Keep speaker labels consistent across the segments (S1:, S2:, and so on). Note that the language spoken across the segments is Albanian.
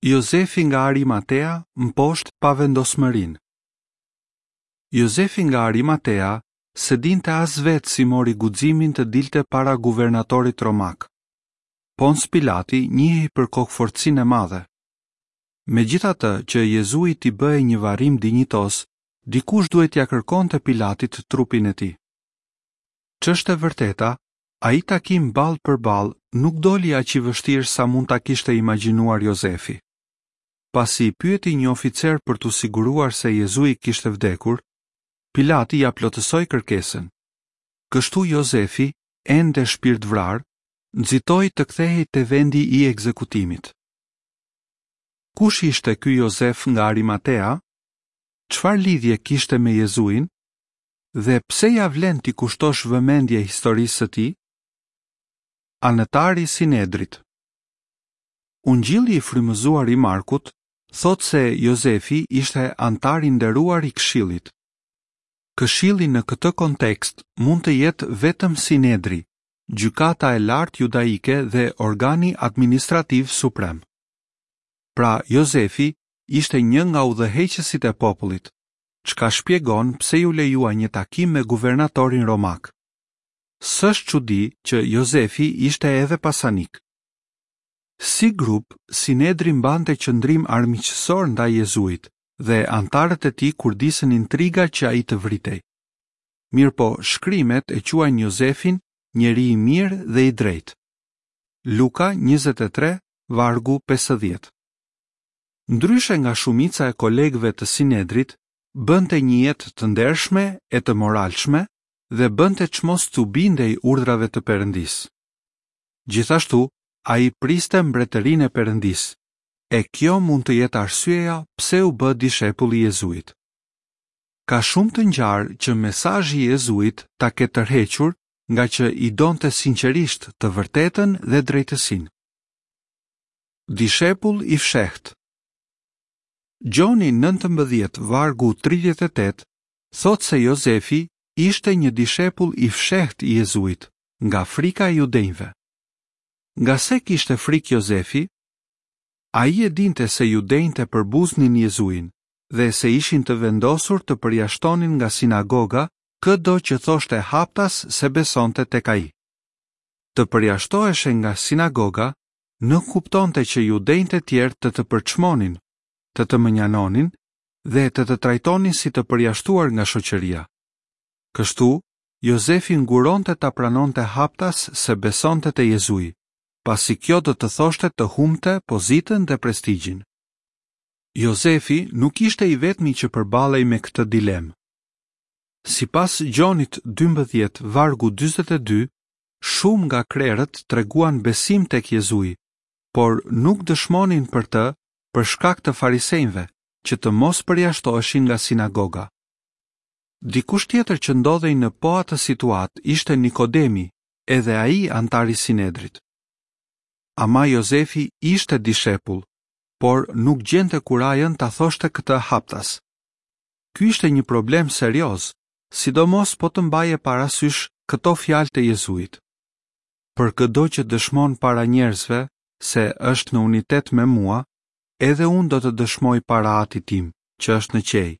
S1: Jozefi nga Arimatea mposht pavendosmërinë. Jozefi nga Arimatea s'e dinte as vetë si mori guximin të dilte para guvernatorit romak. Pons Pilati njihej për kokëfortësinë e madhe. Megjithatë, që Jezuit t'i bëhej një varrim dinjitoz, dikush duhej t'ia kërkonte Pilatit trupin e tij. Ç'është e vërteta, Ai takim ballë për ballë nuk doli aq i vështirë sa mund ta kishte imagjinuar Jozefi. Pasi pyeti një oficer për t'u siguruar se Jezui kishte vdekur, Pilati ia plotësoi kërkesën. Kështu Jozefi, ende shpirtvrarë, nxitoi të kthehej te vendi i ekzekutimit. Kush ishte ky Jozef nga Arimatea? Çfarë lidhje kishte me Jezuin? Dhe pse ia vlen t'i kushtosh vëmendje historisë së tij? Anëtar i Sinedrit. Ungjilli i frymëzuar i Markut thotë se Jozefi ishte anëtar i nderuar i këshillit. Këshilli në këtë kontekst mund të jetë vetëm Sinedri, gjykata e lartë judaike dhe organi administrativ suprem. Pra, Jozefi ishte një nga udhëheqësit e popullit, çka shpjegon pse iu lejua një takim me guvernatorin romak. S'është çudi që Jozefi ishte edhe pasanik. Si grup, Sinedri mbante qëndrim armiqësor ndaj Jezuit dhe anëtarët e tij kurdisën intriga që ai të vritej. Mirëpo, shkrimet e quajnë Jozefin njeri i mirë dhe i drejtë. Luka 23, vargu 50. Ndryshe nga shumica e kolegëve të Sinedrit, bënte një jetë të ndershme e të moralshme dhe bënte çmos t'u bindej urdhrave të Perëndisë. Gjithashtu, ai priste mbretërinë e Perëndisë, e kjo mund të jetë arsyeja pse u bë dishepull i Jezuit. Ka shumë të ngjarë që mesazhi i Jezuit ta ketë tërhequr ngaqë i donte sinqerisht të vërtetën dhe drejtësinë. Dishepull i fshehtë. Gjoni 19 vargu 38 thotë se Jozefi ishte një dishepull i fshehtë i Jezuit, nga frika e judenjve. Nga se kishte frikë Jozefi? Ai e dinte se judenjtë e përbuznin Jezuin dhe se ishin të vendosur të përjashtonin nga sinagoga këdo që thoshte haptas se besonte tek ai. Të përjashtoheshe nga sinagoga nënkuptonte që judenjtë e tjerë të të përçmonin, të të mënjanonin dhe të të trajtonin si të përjashtuar nga shoqëria. Kështu, Jozefi nguronte ta pranonte haptas se besonte te Jezui, pasi kjo do të thoshte të humbte pozitën dhe prestigjin. Jozefi nuk ishte i vetmi që përballej me këtë dilemë. Sipas Gjonit 12, vargu 42, Shumë nga krerët treguan besim tek Jezui, por nuk dëshmonin për të për shkak të farisenjve, që të mos përjashtoheshin nga sinagoga. Dikush tjetër që ndodhej në po atë situatë ishte Nikodemi, edhe ai anëtar i Sinedrit. Ama Jozefi ishte dishepull, por nuk gjente kurajën ta thoshte këtë haptas. Ky ishte një problem serioz, sidomos po të mbaje parasysh këto fjalë të Jezuit. Për këdo që dëshmon para njerëzve se është në unitet me mua, edhe unë do të dëshmoj para Atit tim, që është në qiej,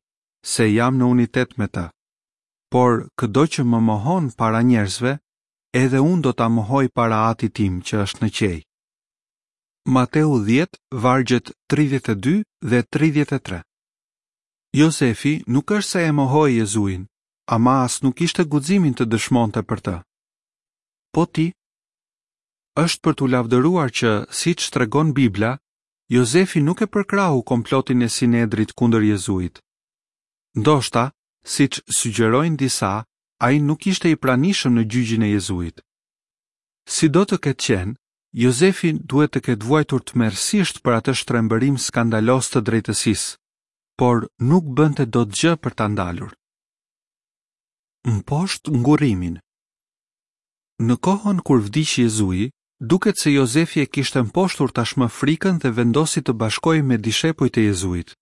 S1: se jam në unitet me të. Por këdo që më mohon para njerëzve, edhe unë do ta mohoj para Atit tim që është në qiej. Mateu 10, vargjet 32 dhe 33. Jozefi nuk është se e mohoi Jezuin, ama as nuk kishte guximin të dëshmonte për të. Po ti? Është për t'u lavdëruar që, siç tregon Bibla, Jozefi nuk e përkrahu komplotin e Sinedrit kundër Jezuit. Ndoshta, siç sugjerojnë disa, ai nuk ishte i pranishëm në gjyqin e Jezuit. Sido të ketë qenë, Jozefi duhet të ketë vuajtur tmerrësisht për atë shtrembërim skandaloz të drejtësisë, por nuk bënte dot gjë për ta ndalur. Mposht ngurrimin. Në kohën kur vdiq Jezui, duket se Jozefi e kishte mposhtur tashmë frikën dhe vendosi të bashkohej me dishepujt e Jezuit.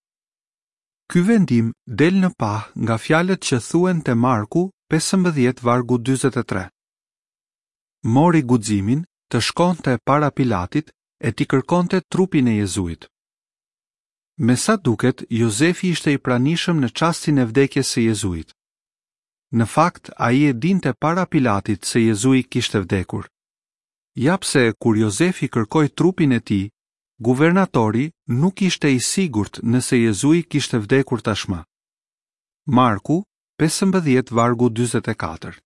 S1: Ky vendim del në pah nga fjalët që thuhen te Marku 15 vargu 43. Mori guximin të shkonte para Pilatit e t'i kërkonte trupin e Jezuit. Me sa duket, Jozefi ishte i pranishëm në çastin e vdekjes së Jezuit. Në fakt, ai e dinte para Pilatit se Jezui kishte vdekur. Ja pse kur Jozefi kërkoi trupin e tij, guvernatori nuk ishte i sigurt nëse Jezui kishte vdekur tashmë. Marku, 15 vargu 44.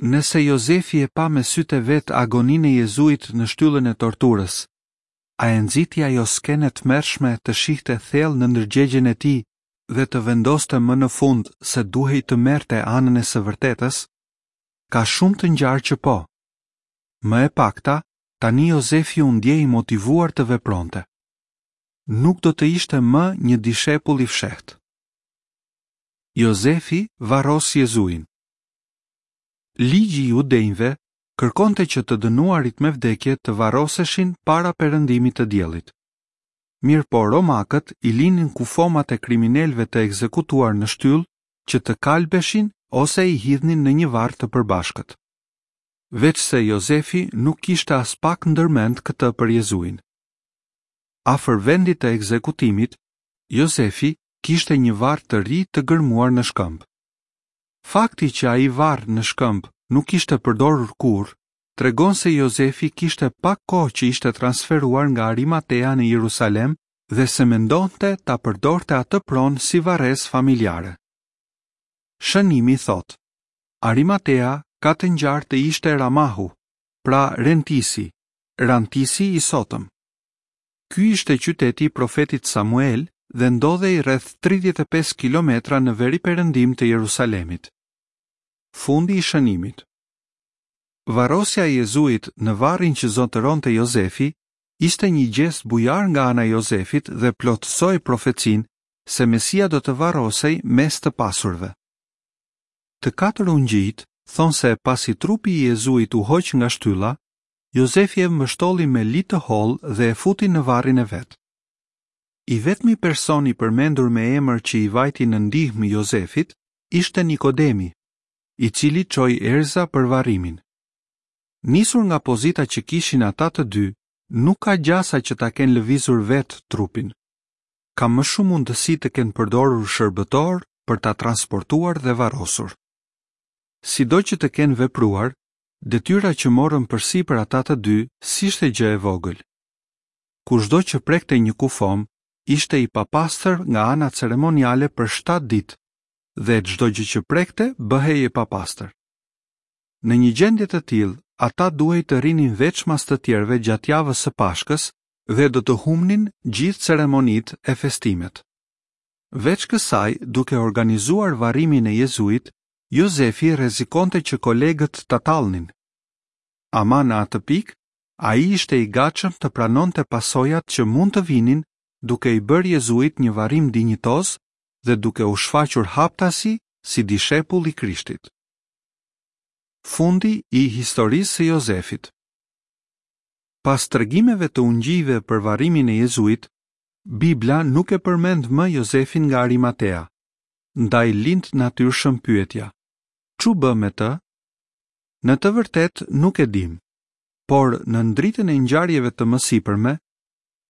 S1: Nëse Jozefi e pa me sytë e vet agoninë e Jezuit në shtyllën e torturës, a e nxiti ajo skenë e tmerrshme të shihte thellë në ndërgjegjen e tij dhe të vendoste më në fund se duhej të merrte anën e së vërtetës? Ka shumë të ngjarë që po. Më e pakta, tani Jozefi u ndje i motivuar të vepronte. Nuk do të ishte më një dishepull i fshehtë. Jozefi varros Jezuin. Ligji i judenjve kërkonte që të dënuarit me vdekje të varroseshin para perëndimit të diellit. Mirëpo romakët i linin kufomat e kriminelëve të ekzekutuar në shtyllë që të kalbeshin ose i hidhnin në një varr të përbashkët. Veçse Jozefi nuk kishte aspak ndërmend këtë për Jezuin. Afër vendit të ekzekutimit, Jozefi kishte një varr të ri të gërmuar në shkëmb. Fakti që ai varr në shkëmb nuk ishte përdorur kurrë, tregon se Jozefi kishte pak kohë që ishte transferuar nga Arimatea në Jerusalem dhe se mendonte ta përdorte atë pronë si varrezë familjare. Shënimi thotë, Arimatea ka të ngjarë të ishte Ramahu, pra Rentisi, Rantisi i sotëm. Ky ishte qyteti i profetit Samuel dhe ndodhej rreth 35 kilometra në veriperëndim të Jerusalemit. Fundi i shënimit. Varrosja e Jezuit në varrin që zotëronte Jozefi ishte një gjest bujar nga ana e Jozefit dhe plotësoi profecinë se Mesia do të varrosej mes të pasurve. Të katër ungjijtë thonë se pasi trupi i Jezuit u hoq nga shtylla, Jozefi e mbështolli me li të hollë dhe e futi në varrin e vet. I vetmi person i përmendur me emër që i vajti në ndihmë Jozefit ishte Nikodemi, i cili çoi erëza për varrimin. Nisur nga pozita që kishin ata të dy, nuk ka gjasa që ta kenë lëvizur vetë trupin. Ka më shumë mundësi të kenë përdorur shërbëtorë për ta transportuar dhe varrosur. Sido që të kenë vepruar, Detyra që morën përsipër ata të dy s'ishte gjë e vogël. Kushdo që prekte një kufomë ishte i papastër nga ana ceremoniale për shtatë ditë dhe çdo gjë që prekte bëhej e papastër. Në një gjendje të tillë, ata duhej të rrinin veçmas të tjerëve gjatë javës së Pashkës dhe do të humbnin gjithë ceremonitë e festimet. Veç kësaj, duke organizuar varrimin e Jezuit, Jozefi rrezikonte që kolegët ta tallnin. Ama në atë pikë, ai ishte i gatshëm të pranonte pasojat që mund të vinin duke i bërë Jezuit një varrim dinjitoz dhe duke u shfaqur haptazi si dishepull i Krishtit. Fundi i historisë së Jozefit. Pas tregimeve të ungjijve për varrimin e Jezuit, Bibla nuk e përmend më Jozefin nga Arimatea. Ndaj lind natyrshëm pyetja, Ç'u bë me të? Në të vërtetë nuk e dimë. Por nën dritën e ngjarjeve të mësipërme,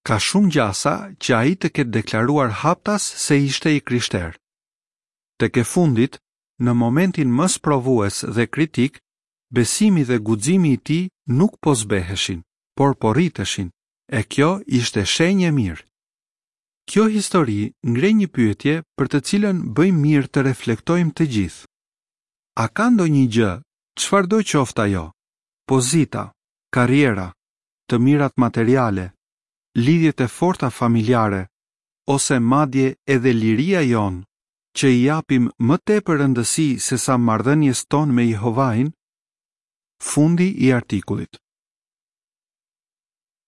S1: ka shumë gjasa që ai të ketë deklaruar haptas se ishte i krishterë. Tek e fundit, në momentin më sprovues dhe kritik, besimi dhe guximi i tij nuk po zbeheshin, por po rriteshin, e kjo ishte shenjë e mirë. Kjo histori ngre një pyetje për të cilën bëjmë mirë të reflektojmë të gjithë. A ka ndonjë gjë, çfarëdo qoftë ajo, pozita, karriera, të mirat materiale, lidhjet e forta familjare ose madje edhe liria jonë, që i japim më tepër rëndësi sesa marrëdhënies tonë me Jehovain? Fundi i artikullit.